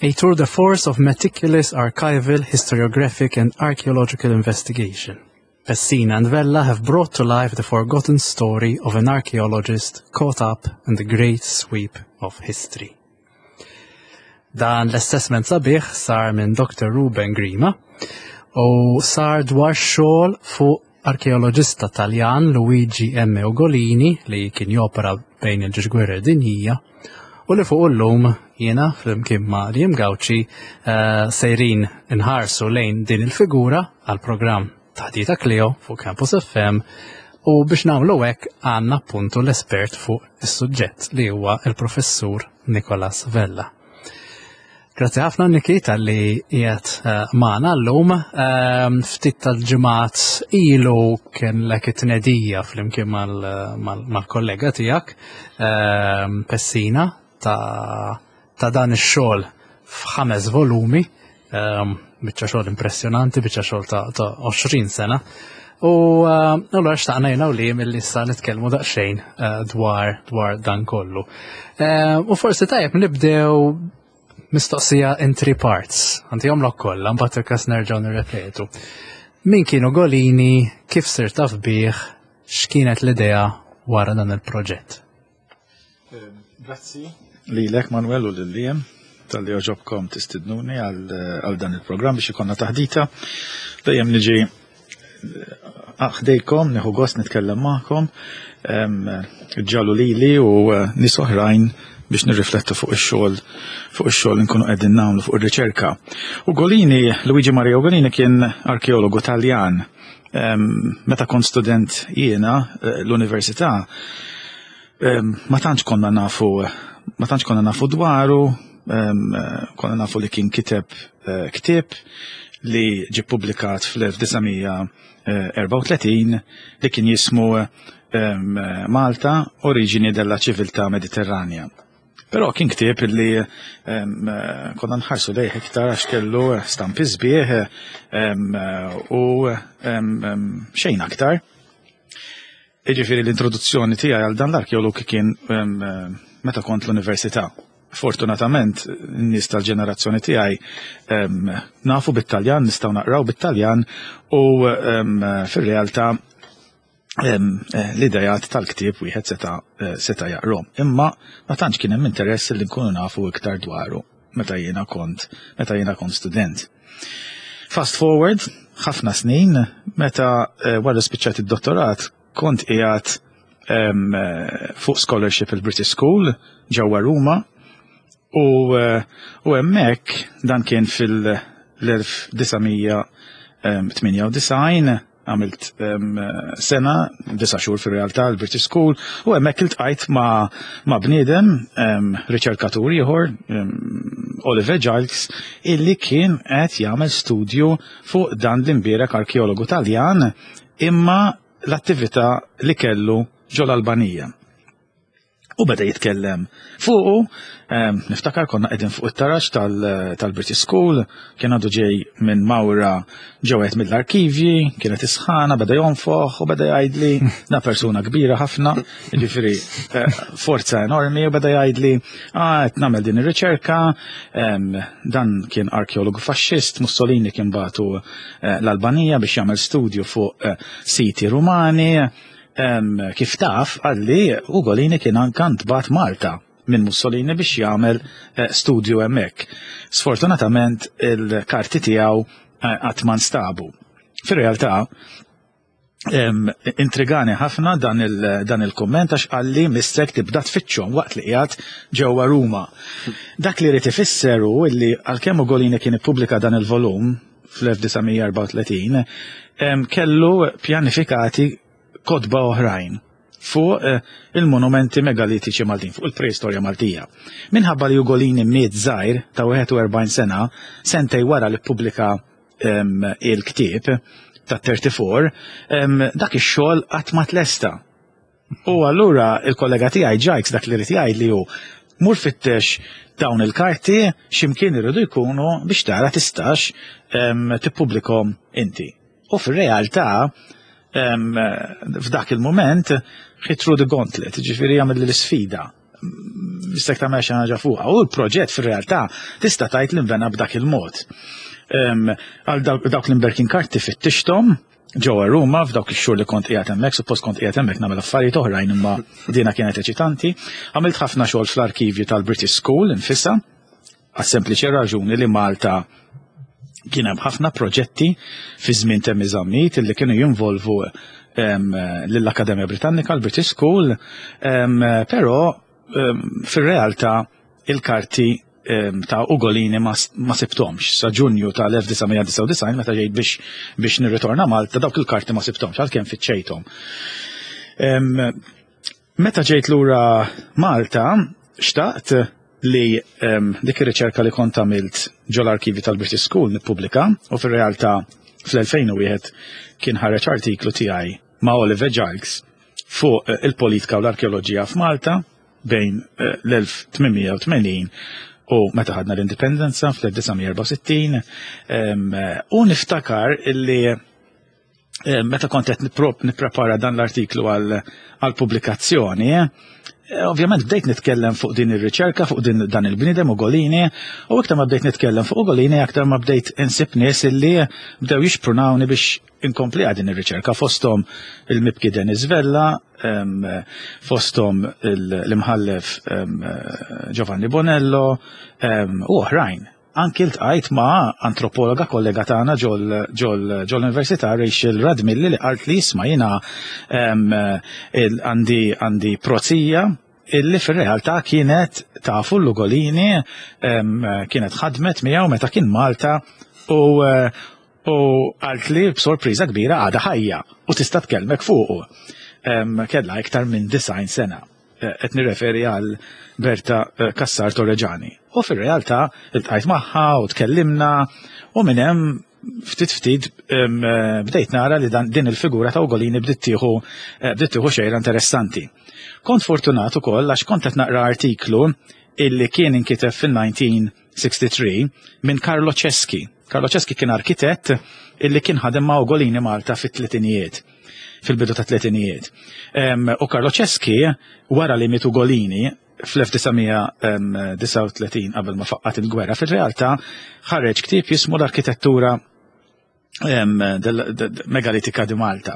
A tour de force of meticulous archival, historiographic and archaeological investigation. Pessina and Vella have brought to life the forgotten story of an archaeologist caught up in the great sweep of history. Dan l-assessment sabiħ sar minn Dr. Ruben Grima u sar dwar xogħol fuq arkeoloġista Taljan Luigi M. Ugolini li kien jopera bejn il-ġiex gwerra dinjija u li fuq illum jiena flimkien ma' Liam Gauci eh, sejrin inħarsu lejn din il-figura għal programm Taħdita Cleo fuq Campus FM u biex nagħmlu hekk għandna appuntu l-espert fuq is-suġġett li huwa il-professur Nicolas Vella. Grazzi ħafna Niki tal-li qiegħed eh, magħna llum. Ehm, ftit tal-ġimgħat ilu kien lek it-tnedija flimkien mal-kollega tiegħek ehm, Pessina ta' ta' dan ix-xogħol f'ħames volumi, ehm, biċċa xogħol impressjonanti, biċċa xogħol ta' 20 sena. U eh, allura xtaqna jena u li mill issa nitkellmu daqsxejn eh, dwar dwar dan kollu. U forsi tajjeb nibdew mistoqsija in three parts. Għanti jomlok kollha, mbagħad il-każ nerġgħu nirrepetu. Min kienu Golini, kif sir taf bih, x'kienet l-idea wara dan il-proġett? Grazzi lilek Manuel u lil Liam tal-li oġobkom tistidnuni għal dan il-programm biex ikonna taħdita. Dejjem niġi ħdejkom, nieħu gost nitkellem magħkom, ġalu lili u eh, nies oħrajn biex nirriflettu fuq ix-xogħol fuq ix-xogħol nkunu qegħdin nagħmlu fuq ir-riċerka. Ugolini, Luigi Maria Ugolini kien arkeologu Taljan. Meta kont student jiena eh, l-università, ma tantx konna nafu ma tantx konna nafu dwaru, konna nafu li kien kiteb eh, ktieb li ġie publikat fl-1934 li kien jismu Malta Origini della Civiltà Mediterranea. Però kien ktieb li konna nħarsu lejh iktar għax kellu stampi sbieħ u xejn aktar. Jiġifieri l-introduzzjoni tiegħi għal dan l-arkeolog kien meta kont l-università. Fortunatament, n-nies tal-ġenerazzjoni tiegħi nafu bit-Taljan, nistgħu naqraw bit-Taljan u fir-realtà eh, l-idejat tal-ktieb wieħed seta' eh, seta' jaqrom. Imma ma tantx kien hemm interess li nkunu nafu iktar dwaru meta jiena kont meta jiena kont student. Fast forward, ħafna snin, meta eh, wara spiċċat id-dottorat kont qiegħed eh, fuq scholarship il-British School ġewwa Ruma u eh, u hemmhekk dan kien fil-1998 għamilt sena, disa xhur fir-realtà l-British School, u hemmhekk iltqajt ma' ma' bniedem, riċerkatur ieħor, Oliver Giles, illi kien qed jagħmel studju fuq dan l-imbierek arkeologu Taljan imma l-attività li kellu ġol-Albanija. U beda jitkellem fuqu, niftakar konna qegħdin fuq it-taraġ tal-British School, kien għadu ġej minn mawra ġewet mill-arkivji, kienet isħana, beda jonfoħ u beda jgħidli, na persuna kbira ħafna, ġifieri eh, forza enormi, u beda jgħidli, ah, qed nagħmel din ir-riċerka, dan kien arkeologu faxxist, Mussolini kien batu eh, l-Albanija biex jagħmel studju fuq eh, siti Rumani, Kif taf, qalli Ugolini kien anka ntbagħat Malta minn Mussolini biex jagħmel eh, studju hemmhekk. Sfortunatament il-karti tiegħu eh, qatt ma nstabu. Fir-realtà, intrigani ħafna dan il-kumment għax qalli missek tibda tfittxhom waqt li qiegħed ġewwa Ruma. Dak li rid ifisser hu li għalkemm Ugolini kien ippubblika dan il-volum fl-1934 kellu pjanifikati kotba oħrajn fuq eh, il-monumenti megalitiċi Maltin, fuq il-preistorja Maltija. Minħabba li Ugolini miet żgħir ta' 41 sena, sentej wara li ppubblika il-ktieb ta' 34, dak ix-xogħol qatt ma tlesta. U allura il-kollega tiegħi Ġajks dak li rid jgħid li hu mur fittex dawn il-karti x'imkien iridu jkunu biex tara tistax tippubblikhom inti. U fir-realtà f'dak il-mument he threw the gauntlet, ġifieri jagħmel l-isfida. mistek tagħmel xi ħaġa fuqha. U l-proġett fir-realtà tista' tgħid li nbena b'dak il-mod. Għal dawk l-imberkin karti fittixthom ġewwa Ruma f'dawk ix-xhur li kont qiegħed hemmhekk, suppost kont qiegħed hemmhekk nagħmel affarijiet oħrajn imma dina kienet eċitanti. Għamilt ħafna xogħol fl-arkivju tal-British School infisha, għas-sempliċi raġuni li Malta kien hemm ħafna proġetti fi żmien Temi Zammit illi kienu jinvolvu lill-Akkademja Britannika, l-British School, però fir-realtà il-karti ta' Ugolini ma sibtomx. Sa Ġunju tal-1999 meta ġejt biex biex nirritorna Malta dawk il-karti ma sibtomx għalkemm fittxejthom. Meta ġejt lura Malta xtaqt li dik ir-riċerka li kont għamilt ġol-arkivi tal-British School nippubblika u fir-realtà fl-2001 kien ħareġ artiklu tiegħi ma' Oliver Giles fuq il-politika u l-arkeoloġija f'Malta bejn l-1880 u meta ħadna l-indipendenza fl-1964 u niftakar illi meta kont qed nipprepara dan l-artiklu għal pubblikazzjoni, ovvjament bdejt nitkellem fuq din ir-riċerka, fuq din dan il-bniedem Ugolini, u iktar ma bdejt nitkellem fuq Ugolini, aktar ma bdejt insib nies illi bdew jixprunawni biex inkompli din ir-riċerka fosthom il-mibki Denis Vella, fosthom l-imħallef Giovanni Bonello u oħrajn. Anki ltqajt ma' antropologa kollega tagħna ġol-Università Rachel Radmilli li qalt li isma' jiena għandi għandi prozija illi fir-realtà kienet tafu l-Ugolini kienet ħadmet miegħu meta kien Malta u u qalt li b'sorpriża kbira għadha ħajja u tista' tkellmek fuqu. Kellha iktar minn 90 sena. Qed nirreferi għal Berta Cassar Torregiani. U fir-realtà iltqajt magħha u tkellimna u minn hemm ftit ftit bdejt nara li dan din il-figura ta' Ugolini bdiet tieħu bdiet tieħu xejra interessanti. Kont fortunat ukoll għax kont qed naqra artiklu illi kien inkiteb fil-1963 minn Carlo Ceschi. Carlo Ceschi kien arkitett illi kien ħadem ma' Ugolini Malta fit-tletinijiet, fil-bidu ta' tletinijiet. U Carlo Ceschi, wara li miet Ugolini fl-1939 qabel ma faqqat il-gwerra, fil-realtà ħareġ ktieb jismu l-arkitettura megalitika di Malta.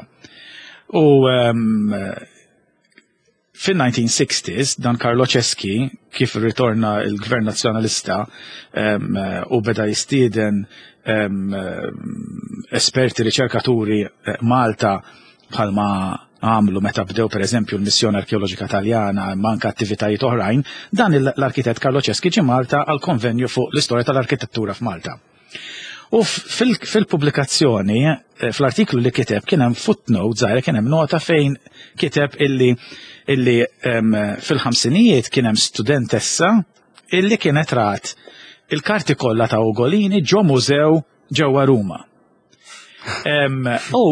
U Fin-1960s, dan Carlo Ceschi, kif irritorna l-Gvern Nazzjonalista u beda jistieden esperti riċerkaturi eh, Malta bħalma għamlu meta bdew per eżempju l-missjoni arkeoloġika Taljana imma anke attivitajiet oħrajn, dan l-arkitett Carlo Ceschi ġie Malta għal konvenju fuq l-istorja tal-arkitettura f'Malta. U fil-pubblikazzjoni, eh, fl-artiklu li kiteb, kien hemm footnote żgħira, kien hemm nota fejn kiteb illi illi fil-ħamsinijiet kien hemm studentessa illi kienet rat il-karti kollha ta' Ugolini ġo mużew ġewwa Ruma. U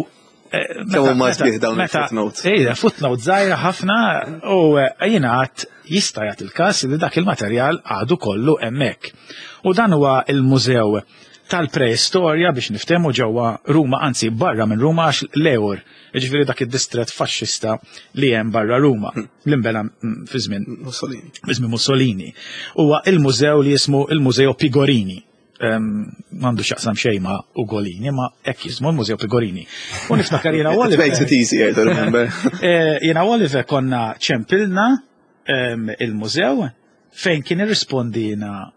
eh, Kemm huma sbieħ dawn il-footnotes. Ejja, footnote żgħira ħafna u eh, jiena għad jista' jagħti il-każ li dak il-materjal għadu kollu hemmhekk. U dan huwa il-mużew tal-preistorja biex niftehmu ġewwa Ruma, anzi barra minn Ruma għax l-Eur, jiġifieri dak id-distret faxxista li hemm barra Ruma, li nbena fi żmien Mussolini. Fi żmien Mussolini. Huwa il-mużew li jismu il-Mużeo Pigorini. M'għandu x'jaqsam xejn ma' Ugolini, ma hekk jismu l-Mużew Pigorini. U niftakar jiena Oliver. It makes it easier to remember. Eh, jiena Oliver konna ċempilna il-mużew fejn kien irrispondina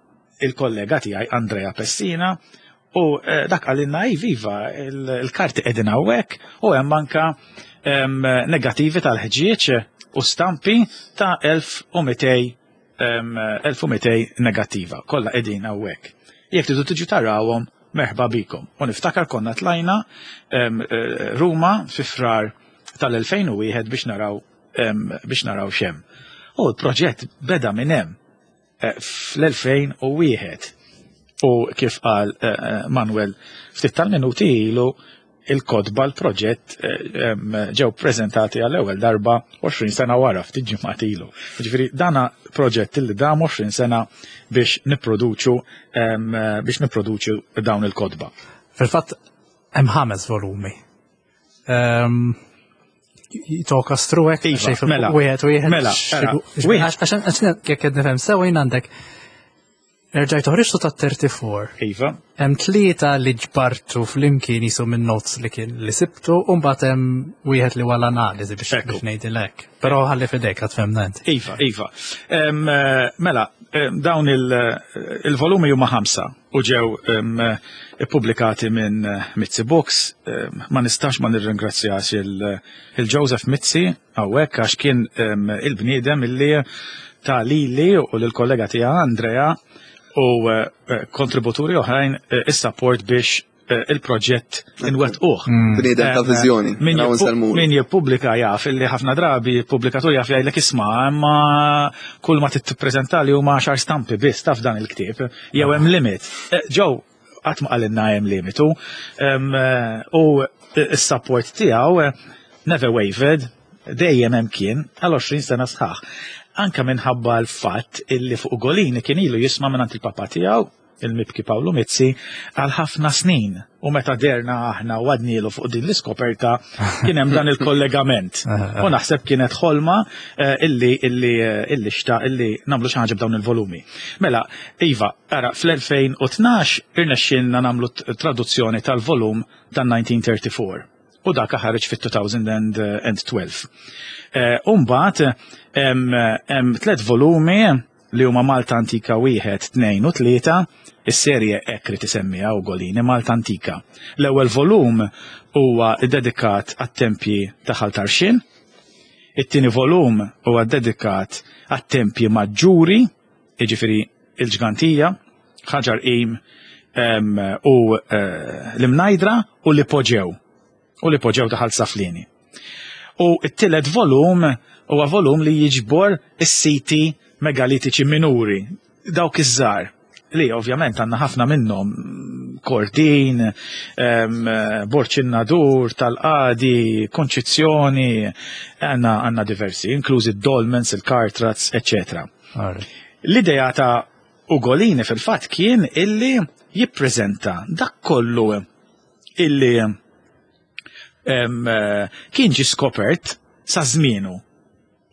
il-kollega tiegħi Andrea Pessina u eh, dak għalinna iva il-karti qegħdin hawnhekk u hemm anka negattivi tal-ħġieġ u stampi ta' 1200 1200 negattiva, kollha qegħdin hawnhekk. Jekk tridu tiġu tarawhom, merħba bikom. U niftakar konna tlajna eh, Ruma fi frar tal-2001 biex naraw biex naraw xem. U l-proġett beda minn hemm eh, fl-2001. U kif qal eh, Manuel ftit tal-minuti ilu il-kotba l-proġett eh, ġew prezentati għall-ewwel darba 20 sena wara ftit ġimgħat ilu. Ġifieri dana proġett li dam 20 sena biex nipproduċu biex nipproduċu dawn il-kotba. Fil-fatt hemm ħames volumi. talk us through hekk Iva, xejn mela, wieħed wieħed. Mela, ara, wieħed- Għax jekk qed nifhem sew jien għandek erġajt toħriġtu ta' 34. Iva. Hemm tlieta li ġbartu flimkien jisu minn notes li kien li sibtu u mbagħad hemm wieħed li wara analiżi biex Ekku. biex ngħidilek. Però ħalli f'idejk għad fhemna inti. Iva, iva. Mela, dawn il-volumi huma ħamsa u ġew ippubblikati minn Mizzi Books. Ma nistax ma nirringrazzjax il-Joseph Mizzi hawnhekk għax kien il-bniedem illi ta' lili u lill-kollega tiegħi Andrea u kontributuri oħrajn is-support biex il-proġett inwettquh. Bniedem ta' viżjoni. Min Raw nsalmulu. Min jippubblika jaf illi ħafna drabi pubblikatur jaf jgħidlek, "Isma', imma kull ma titpreżenta li huma 10 stampi biss taf dan il-ktieb, jew hemm limit." Ġew qatt ma qalilna hemm limitu. U s-support tiegħu never wavered, dejjem hemm kien għal 20 sena sħaħ. Anka minħabba l-fatt illi fuq Ugolini kien ilu jisma' minn il-papa tiegħu, il-mibki Paolo Mizzi, għal ħafna snin. U meta derna aħna u għadnilu fuq din l-iskoperta, kien hemm dan il-kollegament. U naħseb kienet ħolma illi xta illi nagħmlu xi ħaġa b'dawn il-volumi. Mela, iva, ara, fl-2012 irnexxielna nagħmlu traduzzjoni tal-volum tan-1934. U dak ħareġ fit-2012. Umbagħad hemm tliet volumi li huma Malta Antika 1, 2 u 3, is-serje hekk li tisemmiha Ugolini, Malta Antika. L-ewwel volum huwa dedikat għat-tempji ta' Ħal Tarxien, it-tieni volum huwa dedikat għat-tempji maġġuri, jiġifieri il-Ġgantija, Ħaġar Qim u l-Imnajdra u l-Ipoġew. U l-Ipoġew ta' Ħal Saflieni. U t-tielet volum huwa volum li jiġbor is-siti megalitiċi minuri, dawk iż-żgħar, li ovvjament għandna ħafna minnhom: Kordin, Borġ in-Nadur, Tal-Qadi, Konċizzjoni, għandna diversi, inklużi dolmens, il-cart ruts, eccetera. L-idea ta' Ugolini fil-fatt kien illi jippreżenta dak kollu illi kien ġi skopert sa żmienu.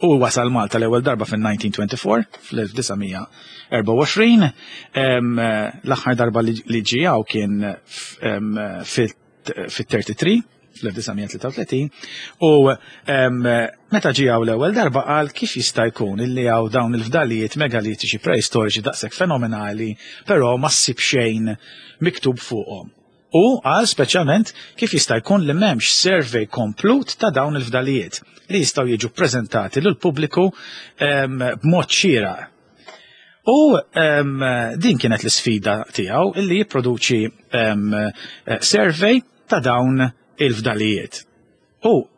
U wasal Malta l-ewwel darba fin-1924, fl-1924, l-aħħar darba li ġie hawn kien fit-33, fl-1933, u meta ġie hawn l-ewwel darba qal kif jista' jkun illi hawn dawn il-fdalijiet megalitiċi preistoriċi daqshekk fenomenali, però ma ssib xejn miktub fuqhom. U għal speċjalment kif jista' jkun li m'hemmx survey komplut ta' dawn il-fdalijiet li jistgħu jiġu ppreżentati lil pubbliku b'mod xieraq. U din kienet l-isfida tiegħu illi jipproduċi survey ta' dawn il-fdalijiet. U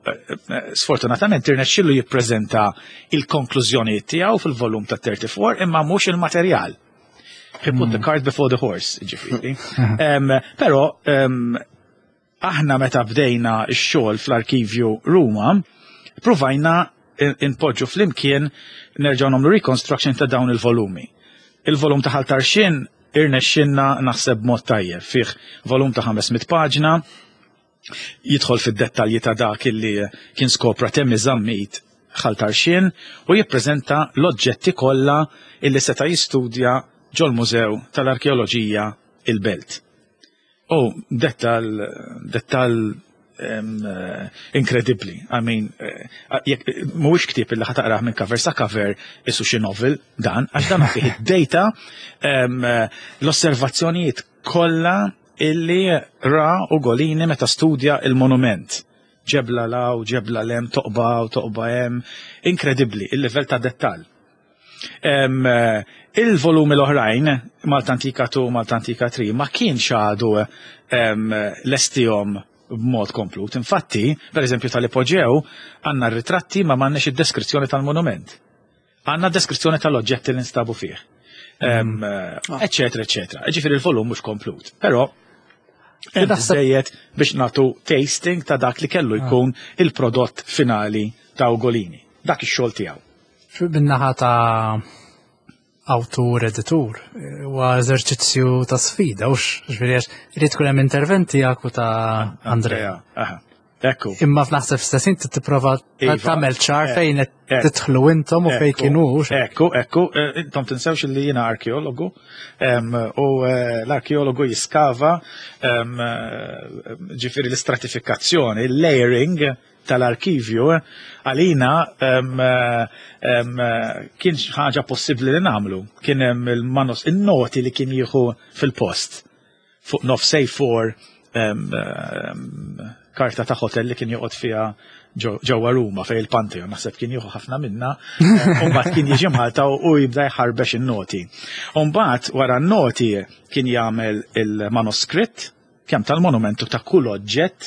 sfortunatament irnexxielu jippreżenta il-konklużjonijiet tiegħu fil-volum ta' 34, imma mhux il-materjal. He put the cart before the horse, ġifieri. Però aħna meta bdejna x-xogħol fl-arkivju Ruma, provajna inpoġġu flimkien, nerġgħu nagħmlu reconstruction ta' dawn il-volumi. Il-volum ta' Ħal Tarxien irnexxinna naħseb mod tajjeb, fih volum ta' 500 paġna, jidħol fid-dettalji ta' dak illi kien skopra Temi Zammit Ħal Tarxien u jippreżenta l-oġġetti kollha illi seta' jistudja ġol-Mużew tal-Arkeoloġija il-Belt. U dettal inkredibbli. I mean, jekk mhuwiex ktieb illi ħa taqrah minn cover sa cover isu xi novel dan, għax dan fih id-data, l-osservazzjonijiet kollha illi ra Ugolini meta studja il-monument. Ġebla law, ġebla lem, toqba u toqba hemm. Inkredibbli, il-livell ta' dettall. Il-volumi l-oħrajn, Malta Antika 2, Malta Antika 3, ma kienx għadu lestihom b'mod komplut. Infatti, per eżempju tal-Ipoġew, għandna ritratti ma m'għandniex id-deskrizzjoni tal-monument. Għandna deskrizzjoni tal-oġġetti li nstabu fih. Eccetera, eccetera. Ġifieri il-volum mhux komplut. Però biżejjed biex nagħtu tasting ta' dak li kellu jkun il-prodott finali ta' Ugolini. Dak ix-xogħol tiegħu. Bin-naħa ta' awtur editur, huwa eżerċizzju ta' sfida, ux, ġifieri għax irid tkun hemm interventi tiegħek u ta' Andrea. Aha. Ekku. Imma f'naħseb stess inti tipprova Iva. tagħmel ċar Eh, fejn qed eh. tidħlu intom u fejn Ekku, kienu. Ekku, ekku, intom tinsewx li jiena arkeologu u l-arkeologu jiskava ġifieri l-istratifikazzjoni, il-layering tal-arkivju għalina kien ħaġa possibbli li nagħmlu. Kien hemm il-manos, in-noti li kien jieħu fil-post fuq nofs A4 karta ta' hotel li kien joqgħod fiha ġewwa Ruma fej il-Pantheon, naħseb kien jieħu ħafna minna, u mbagħad kien jiġi Malta u jibda jħarbex in-noti. U mbagħad wara n-noti kien jagħmel il-manuskritt kemm tal-monumentu ta' kull oġġett,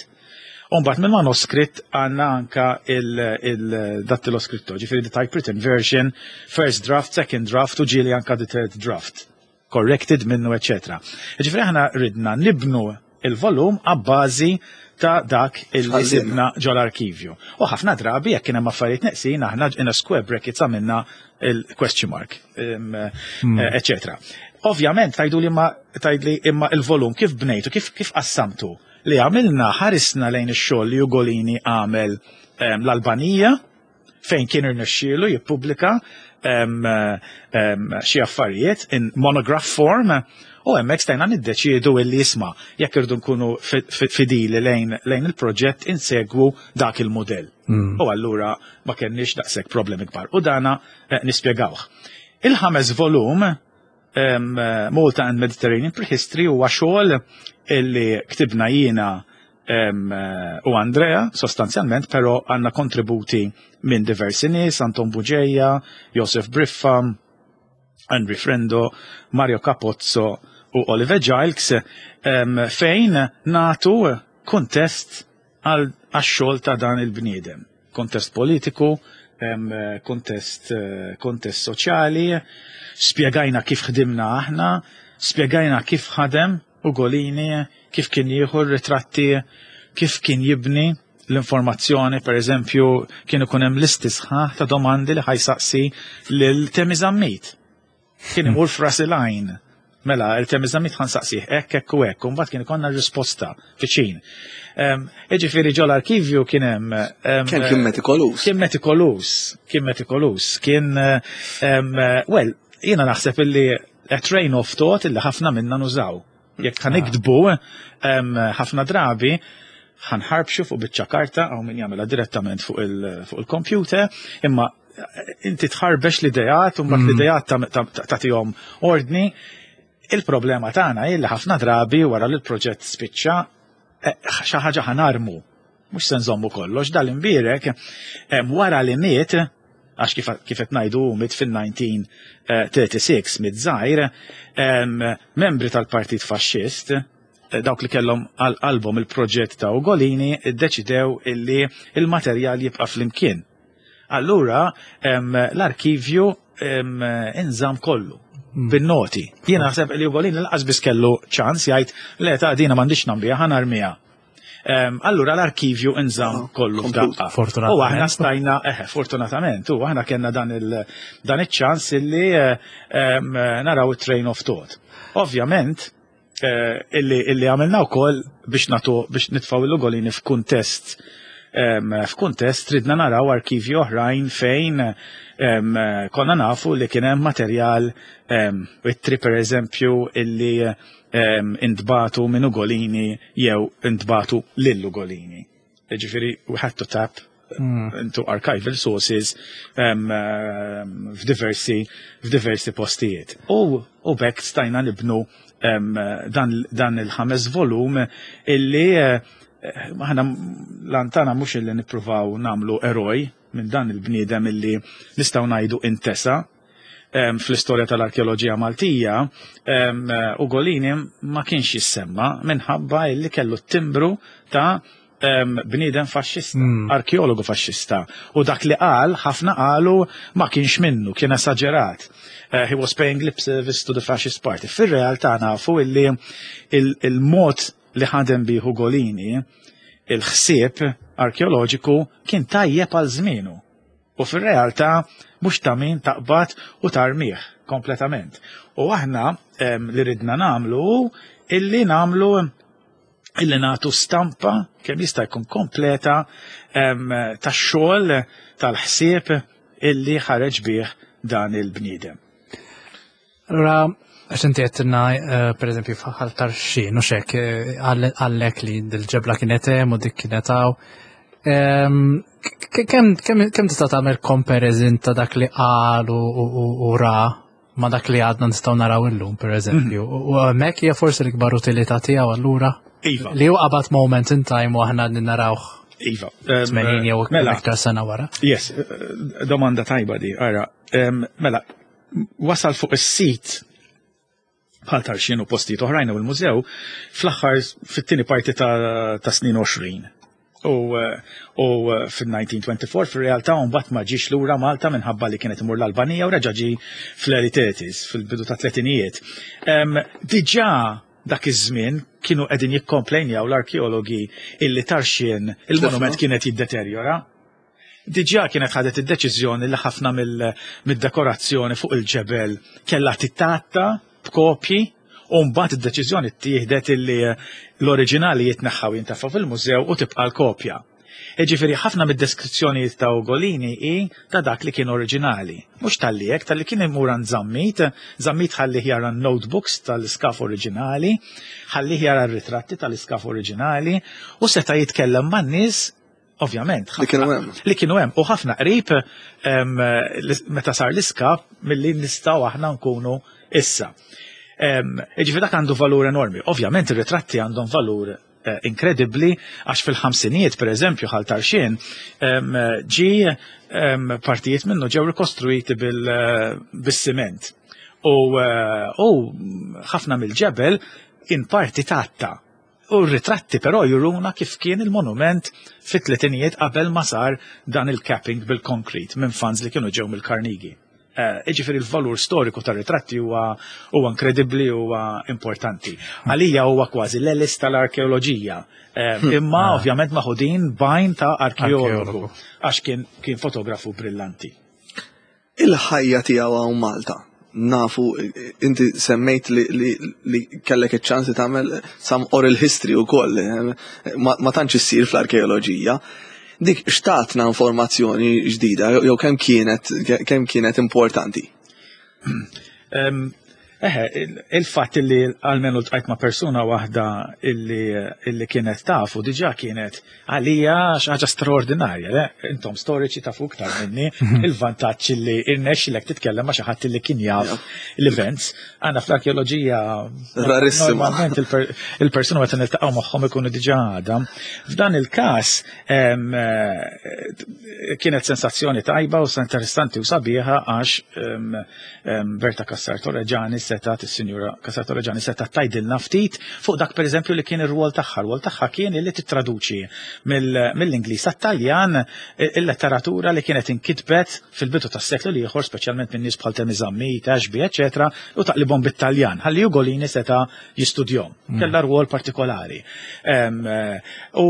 u mbagħad mill-manuskritt għandna anka il-dattiloskritto, ġifieri the typewritten version, first draft, second draft u ġieli anka the third draft corrected minnu, eccetera. Ġifieri aħna ridna nibnu il-volum għabbażi ta' dak il Ħażin. sibna ġol-arkivju. U ħafna drabi jekk kien hemm affarijiet neqsin aħna in a square brackets għamilna il-question mark, eccetera. Ovvjament tajdu li ma tajdli imma il-volum kif bnejtu, kif qassamtu li għamilna ħarisna lejn ix-xogħol li Ugolini għamel l-Albanija fejn kien irnexxielu jippubblika xi affarijiet in monograph form u hemmhekk stajna niddeċiedu illi jisma' jekk irdu nkunu fidili lejn il-proġett insegwu dak il-modell. U allura ma kenniex daqshekk problemi kbar. U dana nispjegawh. Il-ħames volum Malta and Mediterranean Prehistory huwa xogħol illi ktibna jiena u Andrea sostanzjalment, però għandna kontributi minn diversi nies, Anton Bugeja, Joseph Briffa, Henry Frendo, Mario Capozzo u Oliver Giles, fejn natu kuntest għax-xogħol ta' dan il-bniedem. Kontest politiku, kontest soċjali, spjegajna kif ħdimna aħna, spjegajna kif ħadem Ugolini, kif kien jieħu r-ritratti, kif kien jibni l-informazzjoni, per eżempju, kien ikun hemm listi sħaħ ta' domandi li ħa jsaqsi lil Temi Zammit. Kien imur f'ras il-għajn. Mela, il-Temi Zammit ħa nsaqsih hekk, hekk u hekk, u mbagħad kien ikollna risposta viċin. Jiġifieri ġol-arkivju kien hemm, Kien metikolus. Kien metikolus, kien metikolus, kien, well, jiena naħseb illi a train of thought illi ħafna minna nużaw. Jekk ħa niktbu, ħafna drabi ħanħarbxu fuq biċċa karta għaw min jagħmilha direttament fuq il-computer, imma inti tħarbex l-idejat u mbagħad l-idejat tagħtihom ordni. Il-problema tagħna hi li ħafna drabi wara li l-proġett spiċċa xi ħaġa ħanarmu. Mhux se nżommu kollox, dal-imbierek wara li miet, għax kif qed ngħidu miet fil-1936 miet żgħir, membri tal-Partit Faxxist, dawk li kellhom għal qalbhom il-proġett ta' Ugolini, iddeċidew illi il-materjal jibqa' flimkien. Allura l-arkivju inżamm kollu bin-noti. Jiena naħseb li Ugolini lanqas biss kellu ċans jgħid le ta' dina m'għandix nambija ħa narmiha. Allura l-arkivju inżamm kollu Komplut. f'daqqa. Fortunatament. U aħna stajna, fortunatament, u aħna kellna dan iċ-ċans illi naraw it-train of thought. Ovvjament, illi għamilna wkoll biex natu, biex nitfgħu l-Ugolini f'kuntest ridna naraw arkivji oħrajn fejn konna nafu li kien hemm materjal, ittri per eżempju illi intbatu minn Ugolini jew intbatu lil Ugolini. Ġifieri, we had to tap into archival sources f'diversi postijiet. U bekk stajna nibnu dan il-ħames volum illi aħna lantana mhux illi nippruvaw nagħmlu eroj minn dan il-bniedem illi nistgħu ngħidu intesa fl-istorja tal-arkeoloġija Maltija, Ugolini ma kienx jissemma minħabba illi kellu t-timbru ta' bniedem faxxista, arkeologu faxxista. U dak li qal, ħafna qalu ma kienx minnu, kien esaġerat. He was paying lip service to the fascist party. Fir-realtà nafu illi il-mod li ħadem bih Ugolini, il-ħsieb arkeoloġiku kien tajjeb għal żmienu. U fir-realtà mhux ta' min taqbad u tarmih kompletament. U aħna li ridna nagħmlu illi nagħmlu illi nagħtu stampa kemm jista' jkun kompleta tax-xogħol tal-ħsieb illi ħareġ bih dan il-bniedem. Allura, għax inti għedtilna, eh, per eżempju, f'Ħal Tarxien, u xek, eh, għallek li dil-ġebla kienet hemm u dik kienet hawn. Kemm tista' tagħmel comparison ta' dak li qal u ra ma' dak li għadna nistgħu naraw illum, per eżempju. Mhm. U hemmhekk hija forsi l-ikbar utilità tiegħu allura. Iva. Li hu qabad moment in time u aħna għadni narawh. Iva. 80 jew mela. iktar sena wara. Yes, eh, domanda tajba di, ara. Mela, wasal fuq is-sit bħal Tarxien u postijiet oħrajn u l-mużew fl-aħħar fit-tieni parti ta', ta snin 20. U, u fil-1924 fil-realtà mbagħad ma ġiex lura Malta minħabba li kienet imur l-Albanija u reġa' ġie fl-early 30s, fil-bidu ta' tletinijiet. Diġà dak iż-żmien kienu qegħdin jikkomplejnjaw l-arkeologi illi Tarxien il-monument kienet jiddeterjora. Diġà kienet ħadet id-deċiżjoni li ħafna mid-dekorazzjoni fuq il-ġebel kellha titgħatta b'kopji u mbagħad id-deċiżjoni ttieħdet illi l-oriġinali jitneħħaw jintefgħu fil-mużew u tibqa' l-kopja. Jiġifieri ħafna mid-deskrizzjonijiet ta' Ugolini hi ta' dak li kien oriġinali. Mhux talli hekk, talli kien imur għand Zammit, Zammit ħallih jara n-notebooks tal-iskaf oriġinali, ħallih jara r-ritratti tal-iskaf oriġinali u seta' jitkellem man-nies Ovvjament. Li kienu hemm. Li kienu hemm u ħafna qrib meta sar l-iskap milli nistgħu aħna nkunu issa. Ġifieri dak għandu valur enormi. Ovvjament ir-ritratti għandhom valur eh, inkredibbli għax fil-ħamsinijiet pereżempju ħal tarxien ġi partijiet minnu ġew rikostruiti eh, bis-siment. U eh, ħafna mill-ġebel in parti tatta. U r-ritratti però juruna kif kien il-monument fit-tletinijiet qabel ma sar dan il-capping bil-konkrit minn funds li kienu ġew mill-Carnegie. Eh, iġifieri l-valur storiku tar-ritratti huwa huwa inkredibbli huwa importanti. Għalija huwa kważi l-elis tal-arkeoloġija. Eh, hmm. Imma ah. ovvjament maħudin bajn ta' arkeologu għax kien kien fotografu brillanti. Il-ħajja tiegħu hawn Malta. Nafu, inti semmejt li, li, li kellek iċ-ċans li tagħmel some oral history ukoll, eh, ma, ma tantx issir fl-arkeoloġija. Dik xtatna informazzjoni ġdida jew kemm kienet kemm kienet importanti? Eħe, il-fatt li għalmenu ltqajt ma' persuna waħda illi kienet tafu diġà kienet għalija xi ħaġa straordinarja, le? Intom storiċi tafu iktar minni il-vantaġġ illi irnexxilek titkellem ma' xi ħadd illi kien jaf l-events. Għandna fl-arkeoloġija Rarissima. Normalment il-persuna meta niltaqgħu magħhom ikunu diġà għadha. F'dan il-każ eh, kienet sensazzjoni tajba u interessanti u sabiħa għax Berta Cassar Torregiani setat, is-Sinjura Cassar Torregiani setat tajdilna ftit fuq dak pereżempju li kien ir-rwol tagħha. R-rwol tagħha kien li tittraduċi mill-Ingliż għat-Taljan il-letteratura li kienet inkitbet fil-bidu tas-seklu l-ieħor, speċjalment minn nies bħal Temi Zammit, Ashby, eċetera, u taqlibhom bit-Taljan, ħalli Ugolini seta' jistudjhom. Mm. Kellha rwol partikolari. U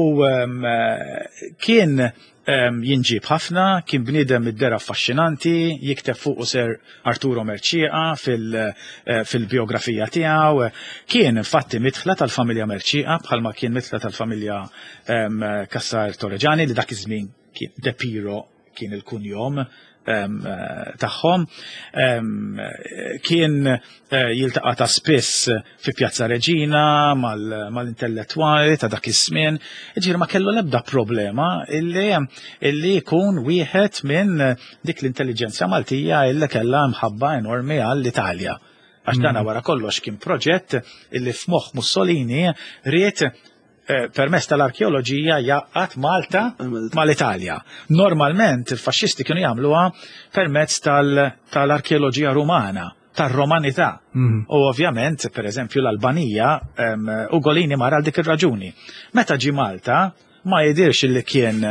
kien Jinġieb ħafna, kien bniedem id-dehra affaxxinanti, jikteb fuqu Sir Arturo Mercieca fil-bijografija tiegħu. Kien infatti midħla tal-familja Mercieca bħalma kien midħla tal-familja Cassar Torregiani li dak iż-żmien kien De Piro kien il-kunjom tagħhom. Kien eh, jiltaqa' ta' spiss fi Pjazza Reġina mal-intellettwali ta' dak iż-żmien. Ġifieri ma kellu l-ebda problema illi illi jkun wieħed minn dik l-intelliġenza Maltija illi kellha mħabba enormi għall-Italja. Għax dana mm. wara kollox kien proġett illi f'moħħ Mussolini ried eh, permezz tal-arkeoloġija jaqgħad Malta mal-Italja. Normalment il-faxxisti kienu jagħmluha permezz tal-arkeoloġija Rumana tar-Romanità. Mm. U ovvjament, per eżempju, l-Albanija, Ugolini mar għal dik ir-raġuni. Meta ġi Malta, ma jidirx li kien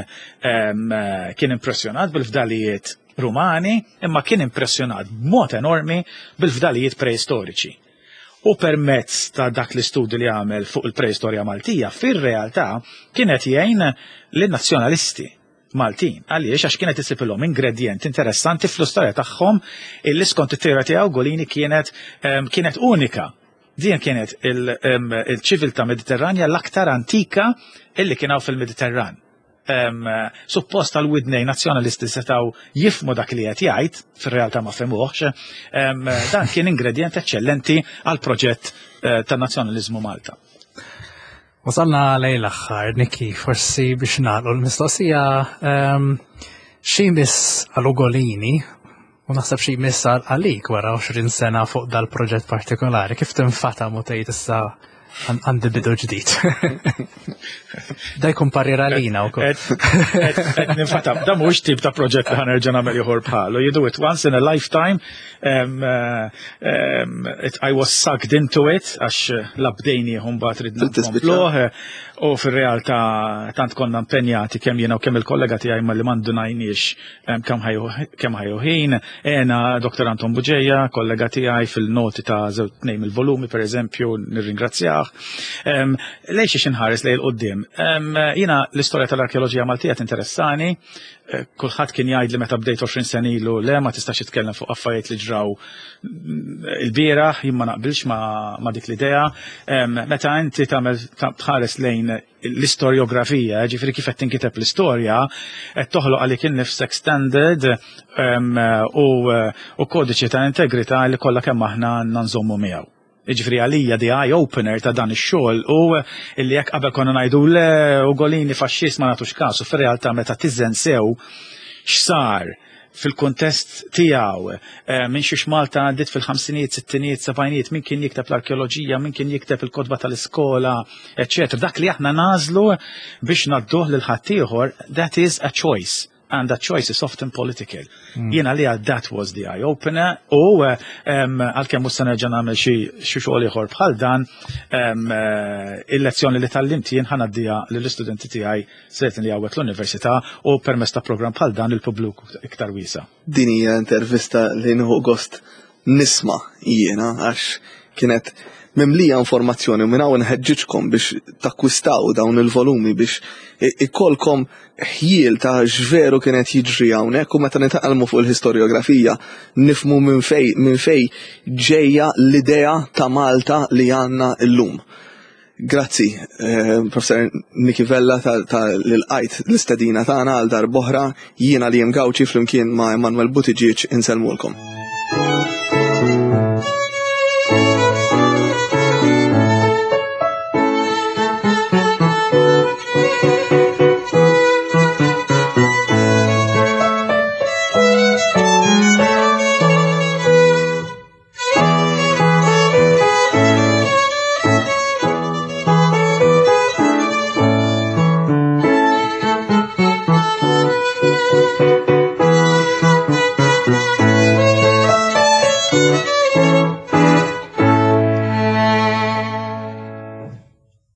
kien impressjonat bil-fdalijiet Rumani, imma kien impressjonat b'mod enormi bil-fdalijiet preistoriċi. U permezz ta' dak l-istudju li għamel fuq il-preistorja Maltija, fir-realtà kienet jgħin lin-nazzjonalisti Maltin. Għaliex? Għax kienet isibilhom ingredjent interessanti fl-istorja tagħhom illi skont it-teorija tiegħu Golini kienet kienet unika. Din kienet il-ċiviltà Mediterranja l-aktar antika illi kien hawn fil-Mediterran. Suppost tal-widnej nazzjonalisti setgħu jifmu dak li qed jgħid, fir-realtà ma fehmuhx, dan kien ingredient eċċellenti għal proġett tan-nazzjonaliżmu Malta. Wasalna lejn l-aħħar, Niki, forsi biex nagħlqu l-mistoqsija xi jmiss għal Ugolini u naħseb xi jmiss għalik wara 20 sena fuq dal-proġett partikolari, kif tinfatam u tgħid issa għandi bidu ġdid. Da jkun parir għalina wkoll. Qed ninfatam, da mhux tip ta' proġett li ħa nerġa' nagħmel ieħor bħalu. You do it once in a lifetime. I was sucked into it għax la bdejnieh mbagħad ridna nkompluh. U fir-realtà tant konna impenjati kemm jiena u kemm il-kollega tiegħi ma li m'indunajniex kemm ħa jieħu ħin. Ena Dr. Anton Bugeja, kollega tiegħi fil-noti ta' żewġ tnejn il-volumi pereżempju, nirringrazzjah. Lejn xiex inħares lejn 'il quddiem. Jiena l-istorja tal-arkeoloġija Maltija tinteressani. Kulħadd kien jgħid li meta bdejt 20 sena ilu le ma tistax titkellem fuq affarijiet li ġraw il-bieraħ, jien ma naqbilx ma dik l-idea. Meta inti tagħmel tħares lejn l-istoriografija, ġifieri kif qed tinkiteb l-istorja, qed toħloq għalik innifsek standard u kodiċi ta' integrità li kollha kemm aħna għandna nżommu miegħu. Ġifieri għalija the eye opener ta' dan ix-xogħol u illi jekk qabel konna ngħidu le Ugolini faxxist ma nagħtux kasu, fir-realtà meta tiżen sew x'sar fil-kuntest tiegħu minn xiex Malta għaddiet fil-ħamsinijiet, sittinijiet, sebgħinijiet, min kien jikteb l-arkeoloġija, min kien jikteb il-kotba tal-iskola, eċċetera. Dak li aħna nagħżlu biex ngħadduh lil ħaddieħor, that is a choice. And that choice is often political. Jiena li that was the eye-opener u għalkemm mhux se nerġa' nagħmel xi xogħol ieħor bħal dan, il-lezzjoni li tgħallimt jien ħa ngħaddiha lill-istudenti tiegħi certainly hawnhekk l-università u permezz ta' programm bħal dan il-pubbliku iktar wiesa'. Din hija intervista li nieħu gost nisma' jiena għax kienet mimlija informazzjoni u minn hawn nħeġġiġkom biex takkwistaw dawn il-volumi biex ikollkom ħjiel ta' x'veru kienet jiġri hawnhekk u meta nitgħallmu fuq il-historiografija nifhmu minn fej ġejja l-idea ta' Malta li għandna llum. Grazzi, Professor Niki Vella ta' l-qajt l-istedina tagħna għal darb'oħra, jiena li Gauci flimkien ma' Emanuel Buttigieg insellmulkom.